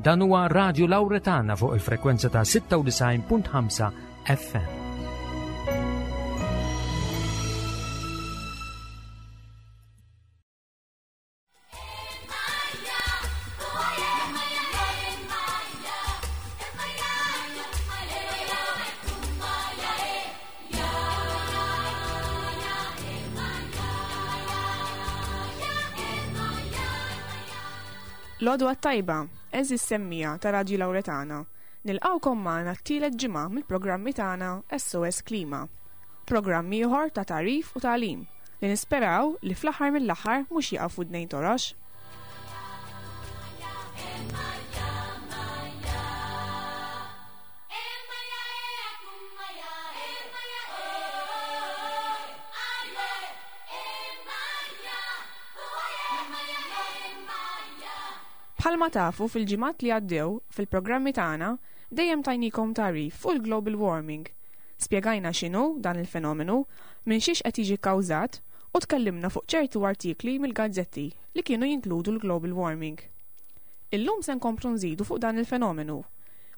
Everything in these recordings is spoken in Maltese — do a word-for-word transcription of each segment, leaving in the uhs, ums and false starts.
Dan huwa Radio Lauretana fuq il-frekwenza ta' sitta u disgħin punt ħamsa F M. L-għodwa t-tajba, għeżież semmiegħa ta' Radio Lauretana. Nilqgħukom magħna t-tielet ġimgħa mill-programmi tagħna S O S Klima. Programm ieħor ta' tagħrif u tagħlim li nisperaw li fl-aħħar mill-aħħar mhux jaqaf f'widnejn torox. Bħalma tafu, fil-ġimgħat li għaddew fil-programmi tagħna dejjem tajnikom tagħrif fuq il-global warming. Spjegajna x'inhu dan il-fenomenu, minn xiex qed jiġi kkawżat u tkellimna fuq ċertu artikli mill-gazzetti li kienu jinkludu l-global warming. Illum se nkomplu nżidu fuq dan il-fenomenu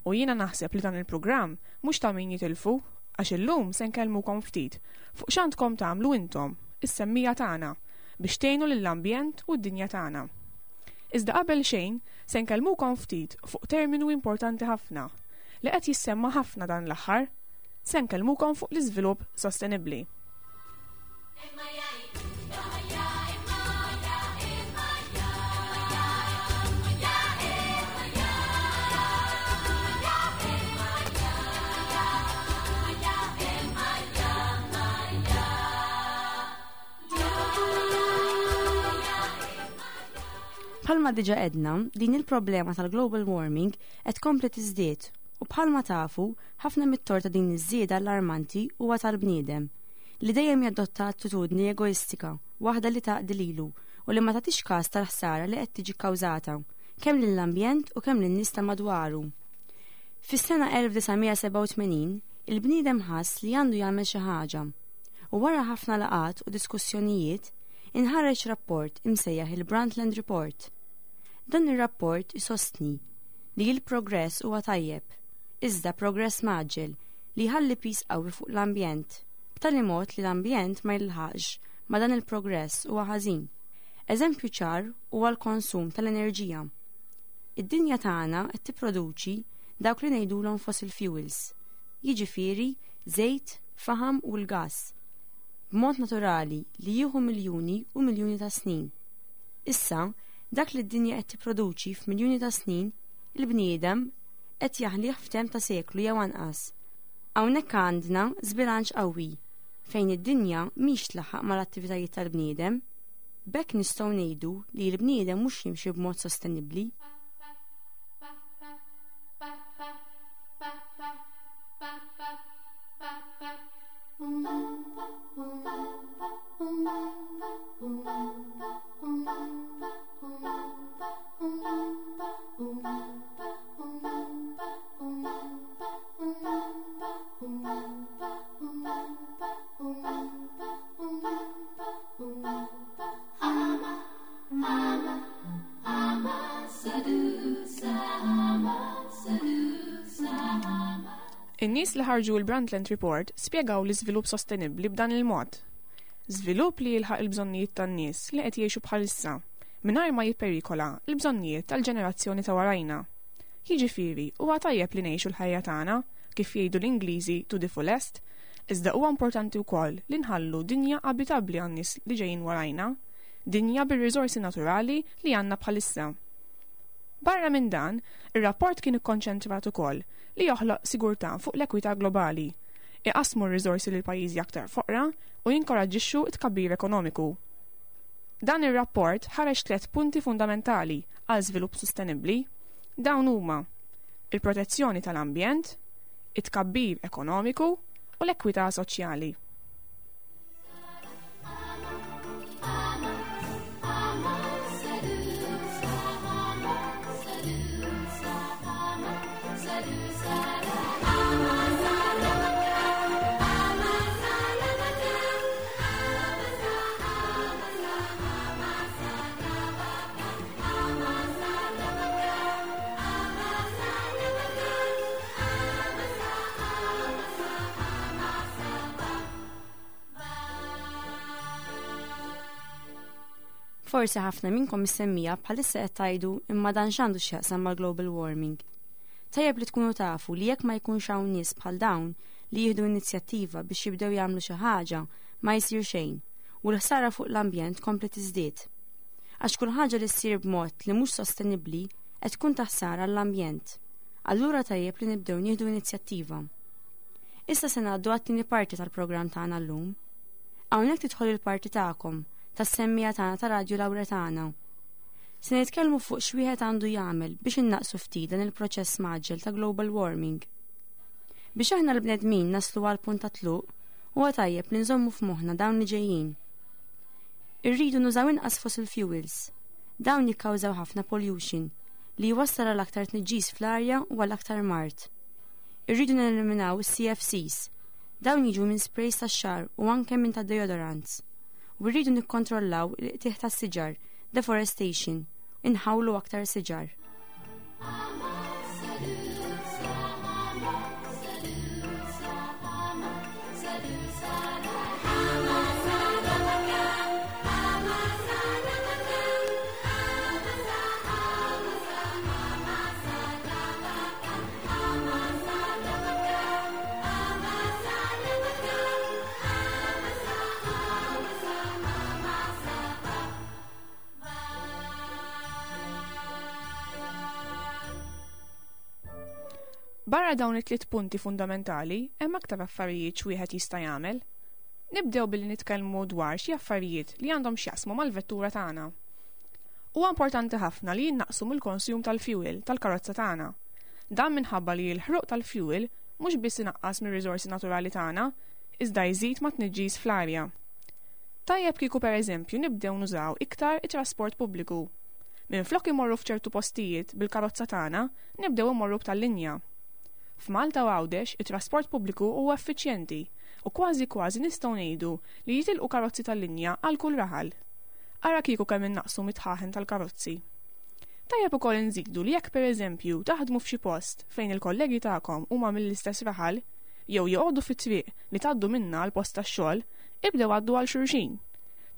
u jiena naħseb li dan il-programm mhux ta' min jitilfu, għax illum se nkellmukom ftit fuq x'għandkom tagħmlu intom, is-semmiegħa tagħna, biex tgħinu lill-ambjent u d-dinja tagħna. Iżda qabel xejn, se nkellmukom ftit fuq terminu importanti ħafna li qed jissemma ħafna dan l-aħħar. Se nkellmukom fuq l-iżvilupp sostenibbli. Bħalma diġà għedna, din il-problema tal-global warming qed tkompli tiżdied u bħalma tafu, ħafna mit-tort ta' din iż-żieda allarmanti huwa tal-bniedem li dejjem jadotta attitudni egoistika, waħda li taqdi lilu u li ma tagħtix każ tal-ħsara li qed tiġi kkawżata kemm lill-ambjent u kemm lin-nies ta' madwaru. Fis-sena elf disa' mija sebgħa u tmenin, il-bniedem ħass li għandu jagħmel xi ħaġa u wara ħafna laqgħat u diskussjonijiet inħareġ rapport imsejjaħ il-Brundtland Report. Dan ir-rapport isostni li l-progress huwa tajjeb, iżda progress mgħaġġel li jħalli piż qawwi fuq l-ambjent, b'tali mod li l-ambjent ma jilħaqx ma dan il-progress huwa ħażin. Eżempju ċar huwa l-konsum tal-enerġija. Id-dinja tagħna qed tipproduċi dawk li ngħidulhom fossil fuels, jiġifieri żejt, faħam u l-gas, b'mod naturali li jieħu miljuni u miljuni ta' snin. Issa, dak li d-dinja qed tipproduċi f'miljuni ta' snin, il-bniedem qed jaħlih f'temp ta' seklu jew anqas. Hawnhekk għandna żbilanċ qawwi fejn id-dinja mhix tlaħħaq mal-attivitajiet tal-bniedem. B'hekk nistgħu ngħidu li l-bniedem mhux jimxi b'mod sostenibbli. In-nies li ħarġu l-Brundtland Report spjegaw l-iżvilupp sostenibbli b'dan il-mod. Żvilupp li jilħaq il-bżonnijiet tan-nies li qed jgħixu bħalissa, mingħajr ma jipperikola l-bżonnijiet tal-ġenerazzjoni ta' warajna. Jiġifieri, huwa tajjeb li ngħixu l-ħajja tagħna, kif jgħidu l-Ingliżi, to the fullest, iżda huwa importanti wkoll li nħallu dinja abitabbli għan-nies li ġejjin warajna, dinja bir-riżorsi naturali li għandna bħalissa. Barra minn dan, ir-rapport kien ikkonċentrat ukoll li joħloq sigurtà fuq l-ekwità globali, iqasmu r-riżorsi lil pajjiżi aktar foqra u jinkoraġġixxu t-tkabbir ekonomiku. Dan ir-rapport ħareġ tliet punti fundamentali għal żvilupp sostenibbli. Dawn huma il-protezzjoni tal-ambjent, it-tkabbir ekonomiku u l-ekwità soċjali. Forsi ħafna minnkom is-semmiegħa bħalissa qed tgħidu imma dan x'għandu x'jaqsam mal-global warming. Tajjeb li tkunu tafu li jekk ma jkunx hawn nies bħal dawn li jieħdu inizjattiva biex jibdew jagħmlu xi ħaġa, ma jsir xejn u l-ħsara fuq l-ambjent kompli tiżdied. Għax kull ħaġa li ssir b'mod li mhux sostenibbli qed tkun ta' ħsara għall-ambjent. Allura tajjeb li nibdew nieħdu inizjattiva. Issa se ngħaddu għat-tieni parti tal-programm tagħna llum. Hawnhekk tidħol il-parti tagħkom tas-semmiegħa tagħna ta' Radju Lawretana. Se nitkellmu fuq x'wieħed għandu jagħmel biex innaqsu ftit dan il-proċess mgħaġġel ta' global warming. Biex aħna l-bnedmin naslu għal punt ta' tluq, huwa tajjeb li nżommu f'moħħna dawn li ġejjin. Irridu nużaw inqas fossil fuels. Dawn jikkawżaw ħafna pollution li jwassal għal aktar tniġġis fl-arja u għal aktar mard. Irridu neliminaw is-C F Cs. Dawn jiġu minn sprays tax-xagħar u anke minn ta' deodorants. U rridu nikkontrollaw il-qtigħ tas-siġar, deforestation, inħawlu aktar siġar. Barra dawn it-tliet punti fundamentali, hemm aktar affarijiet x'wieħed jista' jagħmel. Nibdew billi nitkellmu dwar xi affarijiet li għandhom x'jaqsmu mal-vettura tagħna. Huwa importanti ħafna li jinnaqsu mill-konsum tal-fuel tal-karozza tagħna. Dan minħabba li l-ħruq tal-fuel mhux biss inaqqas mir-riżorsi naturali tagħna, iżda jżid ma' tniġġis fl-arja. Tajjeb kieku, pereżempju, nibdew nużaw iktar it-trasport pubbliku. Minflok imorru f'ċertu postijiet bil-karozza tagħna, nibdew imorru b'tal-linja. F'Malta u Għawdex it-trasport pubbliku huwa effiċjenti u kważi kważi nistgħu ngħidu li jitilqu karozzi tal-linja għal kull raħal. Ara kieku kemm innaqsu mit-dħaħen tal-karozzi. Tajjeb ukoll inżidu li jekk, pereżempju, taħdmu f'xi post fejn il-kollegi tagħkom huma mill-istess raħal jew joqogħdu fit-triq li tgħaddu minna għal post tax-xogħol, ibdew għaddu għal xulxin.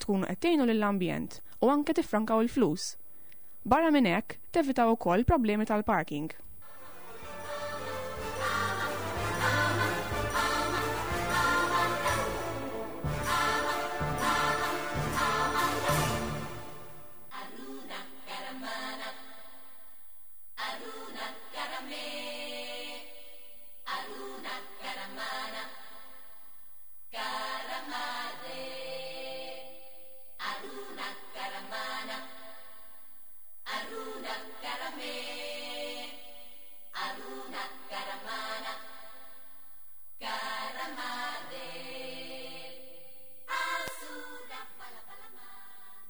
Tkunu qed tgħinu lill-ambjent u anke tiffrankaw il-flus. Barra minn hekk, tevitaw ukoll problemi tal-parking.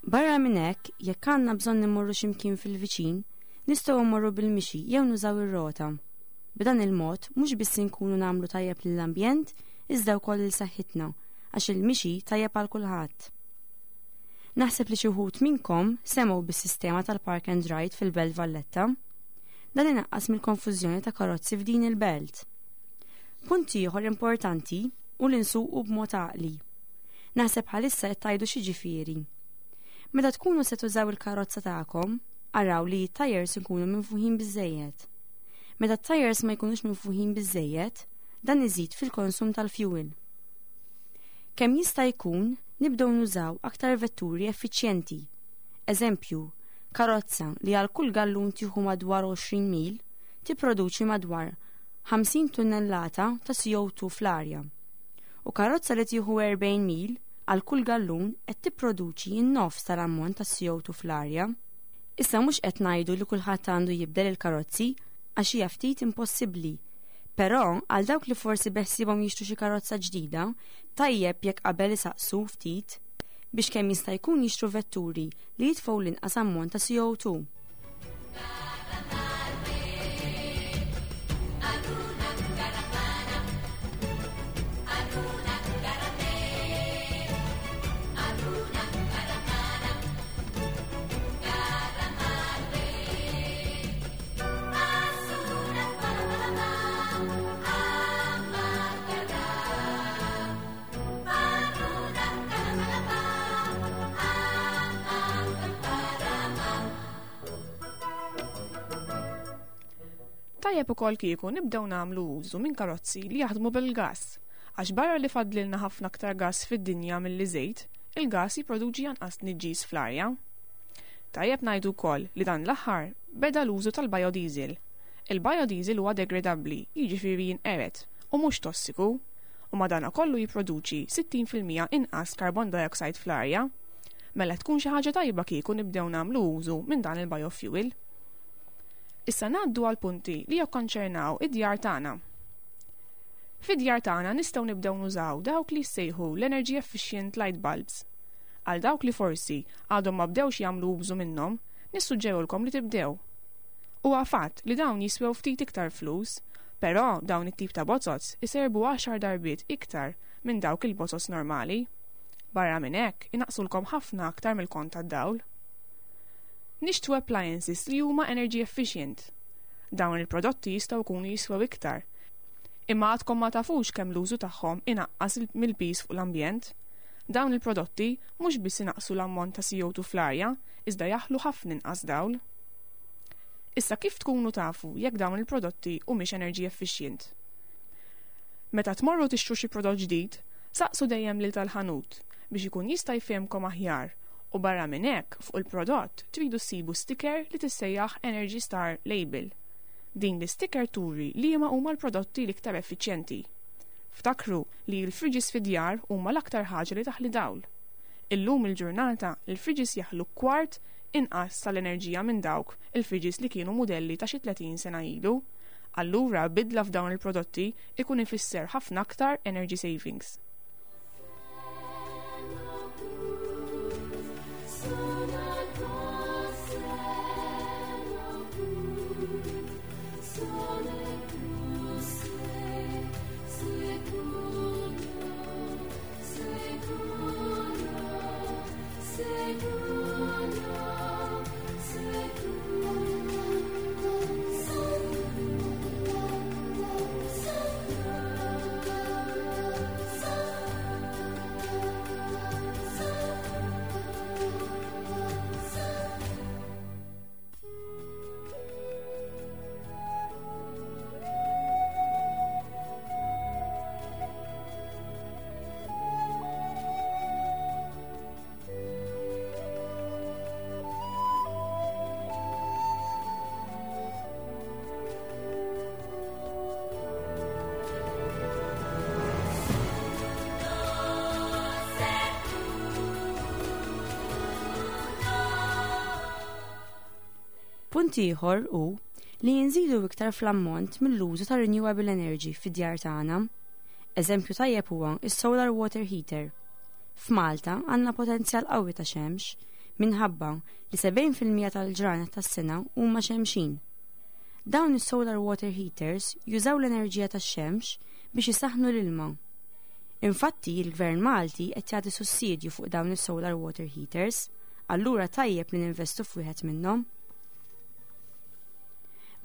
Barra minn hekk, jekk għandna bżonn immorru x'imkien fil-viċin, nistgħu mmorru bil-mixi jew nużaw ir-rota. B'dan il-mod mhux biss inkunu nagħmlu tajjeb lill-ambjent, iżda wkoll lil saħħitna, għax il-mixi tajjeb għal kulħadd. Naħseb li xi wħud minnkom semgħu bis-sistema tal-Park and Ride fil-Belt Valletta. Dan inaqqas mill-konfużjoni ta' karozzi f'din il-belt. Punt ieħor importanti hu li nsuqu b'mod għaqli. Naħseb bħalissa qed tgħidu x'jiġifieri. Meta tkunu se tużaw il-karozza tagħkom, araw li t-tires ikunu minfuħin biżejjed. Meta t-tires ma jkunux minfuħin biżejjed, dan iżid fil-konsum tal-fuel. Kemm jista' jkun nibdew nużaw aktar vetturi effiċjenti. Eżempju, karozza li għal kull gallun tieħu madwar għoxrin mil tipproduċi madwar ħamsin tunnellata ta' C O two fl-arja. U karozza li tieħu erbgħin mil għal kull gallun qed tipproduċi n-nofs tal-ammont ta' C O two fl-arja. Issa mhux qed ngħidu li kulħadd għandu jibdel il-karozzi, għax hija ftit impossibbli. Però għal dawk li forsi beħsibhom jixtru xi karozza ġdida, tajjeb jekk qabel isaqsu ftit biex kemm jista' jkun jixtru vetturi li jitfgħu l-inqas ammont ta' C O two. Tajjeb ukoll kieku nibdew nagħmlu użu minn karozzi li jaħdmu bil-gass, għax barra li fadlilna ħafna aktar gass fid-dinja milli żejt, il-gass jipproduċi anqas tniġġis fl-arja. Tajjeb ngħidu wkoll li dan l-aħħar beda l-użu tal-biodiesel. Il-biodiesel huwa degradabbli, jiġifieri jinqered u mhux tossiku, u madanakollu jipproduċi sittin fil-mija inqas carbon dioxide fl-arja. Mela tkun xi ħaġa tajba kieku nibdew nagħmlu użu minn dan il-biofuel. Issa ngħaddu għal punti li jikkonċernaw id-djar tagħna. Fid-djar tagħna nistgħu nibdew nużaw dawk li jsejħu l-energy efficient light bulbs. Għal dawk li forsi għadhom ma bdewx jagħmlu użu minnhom, nissuġġerulkom li tibdew. Huwa fatt li dawn jiswew ftit iktar flus, però dawn it-tip ta' bozoz iserbu għaxar darbiet iktar minn dawk il-bozoz normali. Barra minn hekk inaqsulkom ħafna aktar mill-kont tad-dawl. Nixtru appliances li huma energy efficient. Dawn il-prodotti jistgħu jkunu jiswew iktar. Imma għadkom ma tafux kemm l-użu tagħhom inaqqas il-, mill-piż fuq l-ambjent. Dawn il-prodotti mhux biss inaqqsu l-ammont ta' C O two fl-arja, iżda jaħlu ħafna inqas dawl. Issa kif tkunu tafu jekk dawn il-prodotti humiex energy efficient? Meta tmorru tixtru xi prodott ġdid, saqsu dejjem lil tal-ħanut biex ikun jista' jfehmkom aħjar, u barra minn hekk fuq il-prodott tridu ssibu sticker li tissejjaħ Energy Star Label. Din l-sticker turi li liema huma l-prodotti l-iktar effiċjenti. Ftakru li l-fridges fid-djar huma l-aktar ħaġa li taħli dawl. Illum il-ġurnata il-fridges jaħlu kwart inqas tal-enerġija minn dawk il-fridges li kienu mudelli ta' xi tletin sena ilu. Allura bidla f'dawn il-prodotti ikun ifisser ħafna aktar energy savings. Punt ieħor hu li jinżidu iktar fl-ammont mill-użu ta' renewable energy fid-djar tagħna. Eżempju tajjeb huwa is-solar water heater. F'Malta għandna potenzjal qawwi ta' xemx minħabba li sebgħin fil-mija tal-ġranet tas-sena huma xemxin. Dawn is-solar water heaters jużaw l-enerġija tax-xemx biex isaħħnu l-ilma. Infatti, il-Gvern Malti qed jagħti sussidju fuq dawn is-solar water heaters, allura tajjeb li ninvestu f'wieħed minnhom.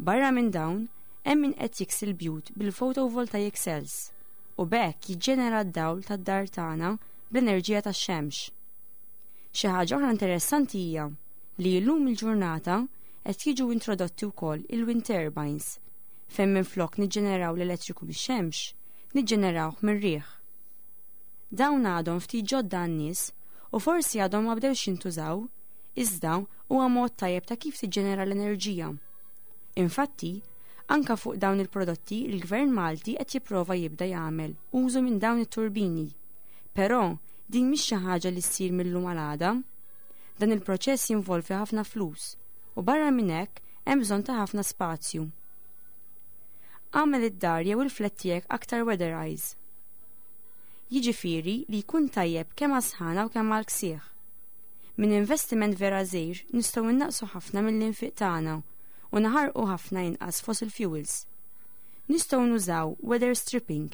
Barra minn dawn, hemm min qed jiksi l-bjut bil-photovoltaic cells u b'hekk jiġġenera d-dawl tad-dar tagħna bl-enerġija tax-xemx. Xi ħaġa oħra interessanti hija li llum il-ġurnata qed jiġu introdotti wkoll il-wind turbines, fejn minflok niġġeneraw l-elettriku mix-xemx, niġġenerawh mir-riħ. Dawn għadhom ftit ġodda għan-nies u forsi għadhom ma bdewx jintużaw, iżda huwa mod tajjeb ta' kif tiġġenera l-enerġija. Infatti, anka fuq dawn il-prodotti il-Gvern Malti qed jipprova jibda jagħmel użu minn dawn it-turbini. Però din mhix xi ħaġa li ssir mil-lum għal għada. Dan il-proċess jinvolvi ħafna flus u barra minn hekk hemm bżonn ta' ħafna spazju. Agħmel id-dar jew il-flat tiegħek aktar weatherized. Jiġifieri li jkun tajjeb kemm għas-sħana u kemm għall-ksieħ. Minn investiment vera żgħir nistgħu innaqsu ħafna mill-infiq tagħna u naħarqu ħafna inqas fossil fuels. Nistgħu nużaw weather stripping.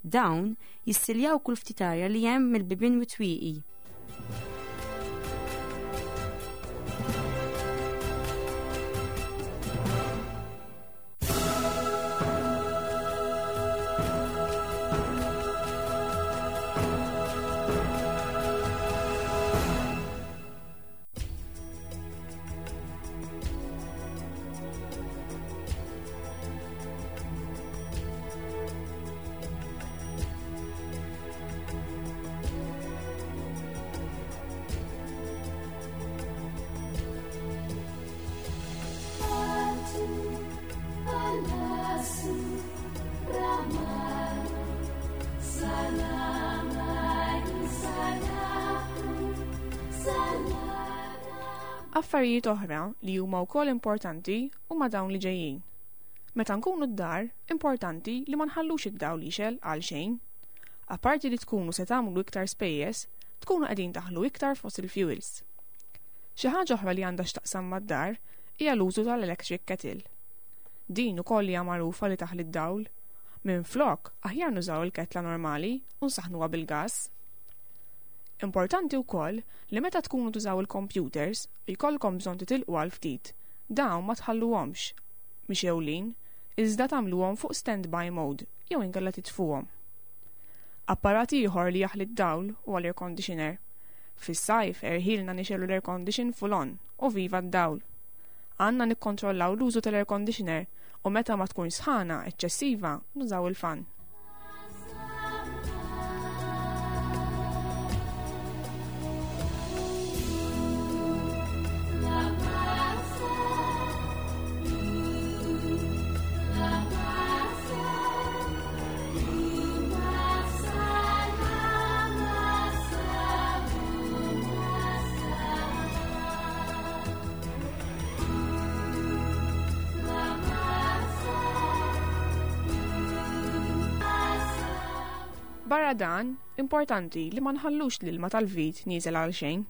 Dawn jissiljaw kull ftit arja li hemm mill-bibien u twieqi. Affarijiet oħra li huma wkoll importanti huma dawn li ġejjin. Meta nkunu d-dar, importanti li ma nħallux id-dawl jixgħel għal xejn. Apparti li tkunu se tagħmlu iktar spejjeż, tkunu qegħdin taħlu iktar fossil fuels. Xi ħaġa oħra li għandha x'taqsam mad-dar hija l-użu tal-electric kettle. Din ukoll hija magħrufa li taħli d-dawl. Minflok, aħjar nużaw il-ketla normali u nsaħnuha bil-gas. Importanti wkoll li meta tkunu tużaw il-computers u jkollkom bżonn titilqu għal ftit, dawn ma tħalluhomx mixgħulin, iżda tagħmluhom fuq standby mode jew inkella titfuhom. Apparat ieħor li jaħli d-dawl huwa l-air conditioner. Fis-sajf erħilna nixegħlu l-air condition full on u viva d-dawl. Għandna nikkontrollaw l-użu tal-air conditioner u meta ma tkun sħana eċċessiva nużaw il-fan. Barra dan, importanti li ma nħallux l-ilma tal-vit nieżel għal xejn.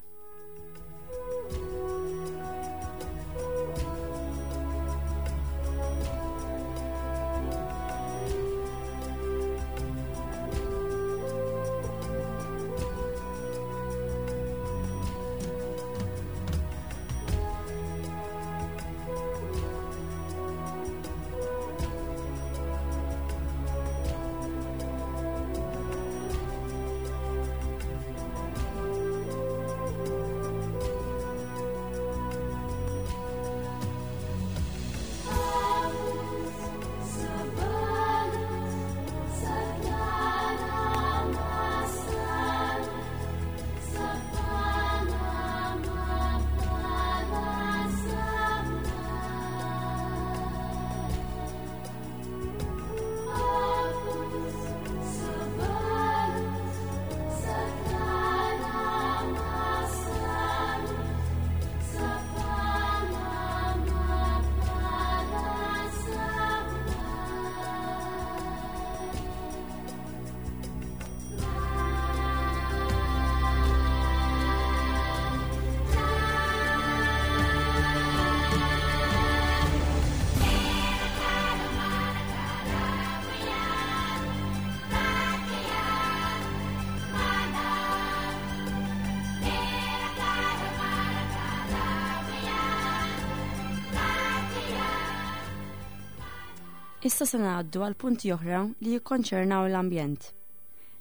Issa se ngħaddu għal punti oħra li jikkonċernaw l-ambjent.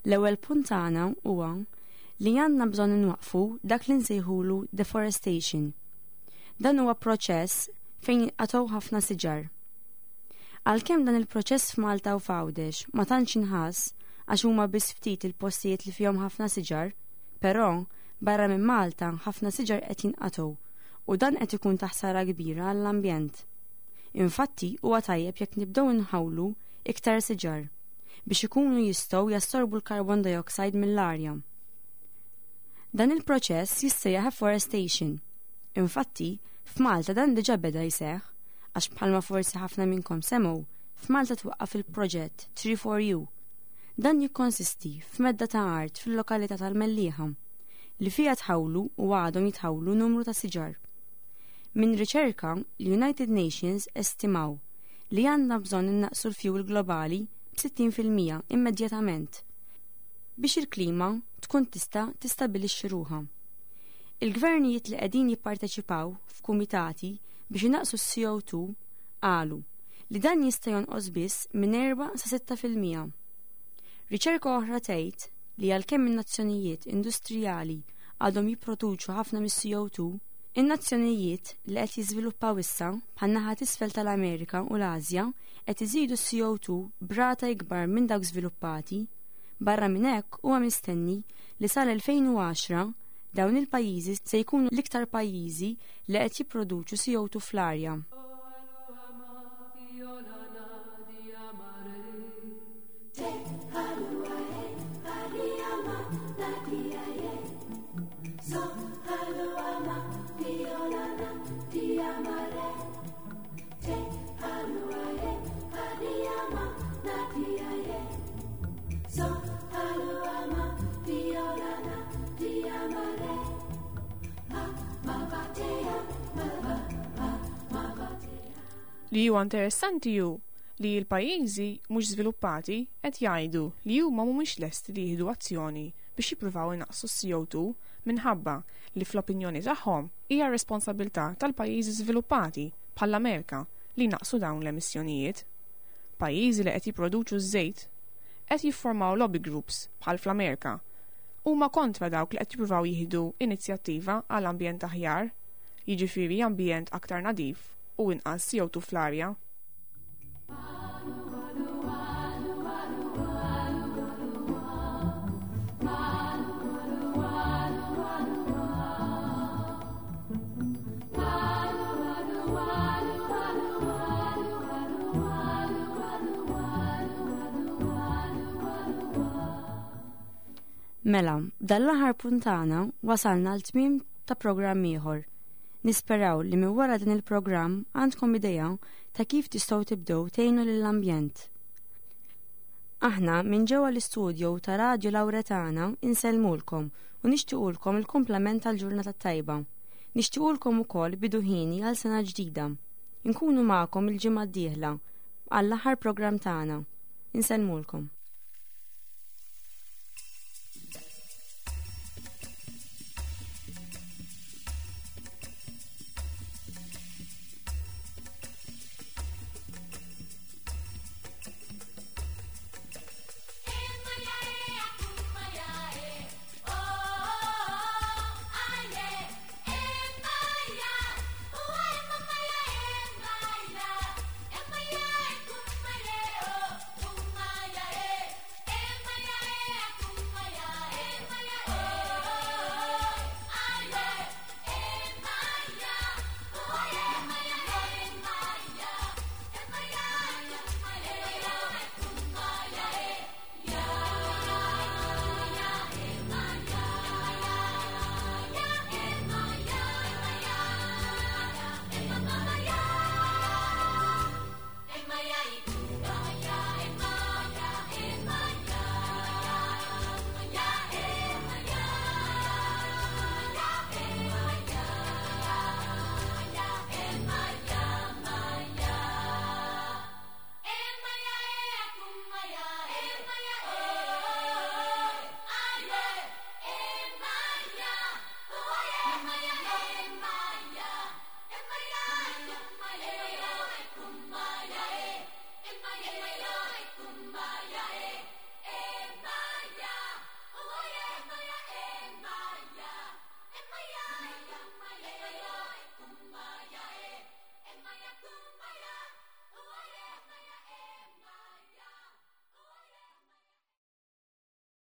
L-ewwel punt tagħna huwa li għandna bżonn inwaqqfu dak li nsejħulu deforestation. Dan huwa proċess fejn jinqatgħu ħafna siġar. Għalkemm dan il-proċess f'Malta u f'Għawdex ma tantx inħass għax huma biss ftit il-postijiet li fihom ħafna siġar, però barra minn Malta ħafna siġar qed jinqatgħu u dan qed ikun ta' ħsara kbira għall-ambjent. Infatti huwa tajjeb jekk nibdew inħawlu iktar siġar biex ikunu jistgħu jassorbu l-carbon dioxide mill-arja. Dan il-proċess jissejjaħ afforestation. Infatti, f'Malta dan diġà beda jseħħ għax bħalma forsi ħafna minnkom semgħu, f'Malta twaqqaf il-proġett Tree for You. Dan jikkonsisti f'medda ta' art fil-lokalità tal-Mellieħa li fiha tħawlu u għadhom jitħawlu numru ta' siġar. Minn riċerka, l-United Nations estimaw li għandna bżonn innaqsu l-fuel globali b'sittin fil-mija immedjatament biex il-klima tkun tista' tistabilixxi ruħha. Il-gvernijiet li qegħdin jipparteċipaw f'kumitati biex inaqqsu s-C O two qalu li dan jista' jonqos biss minn erba' sa sitta fil-mija. Riċerka oħra tgħid li għalkemm in-nazzjonijiet industrijali għadhom jipproduċu ħafna mis-C O two, in-nazzjonijiet li qed jiżviluppaw issa bħan-naħa t'isfel tal-Amerika u l-Asja qed iżidu s-C O two b'rata ikbar minn dawk żviluppati. Barra minn hekk huwa mistenni li sal-elfejn u għaxra dawn il-pajjiżi se jkunu l-iktar pajjiżi li qed jipproduċu C O two fl-arja. So, Li huwa interessanti hu li l-pajjiżi mhux żviluppati qed jgħidu li huma mhumiex lesti li jieħdu azzjoni biex jippruvaw inaqqsu C O two minħabba li fl-opinjoni tagħhom hija responsabilità tal-pajjiżi żviluppati bħall-Amerika li jnaqqsu dawn l-emissjonijiet. Pajjiżi li qed jipproduċu ż-żejt qed jiffurmaw lobby groups bħal fl-Amerika huma kontra dawk li qed jippruvaw jieħdu inizjattiva għal ambjent aħjar, jiġifieri ambjent aktar nadif u inqas C O two fl-arja. Mela, b'dan l-aħħar punt tagħna wasalna għal tmiem ta' programm ieħor. Nisperaw li minn wara din il-programm għandkom idea ta' kif tistgħu tibdew tgħinu lill-ambjent. Aħna minn ġewwa l-istudjo ta' Radio Lauretana insellmulkom u nixtiequlkom il-kumplament tal-ġurnata tajba. Nixtiequlkom ukoll bidu ħieni għal sena ġdida. Inkunu magħkom il-ġimgħa d-dieħla għall-aħħar programm tagħna. Insellmulkom.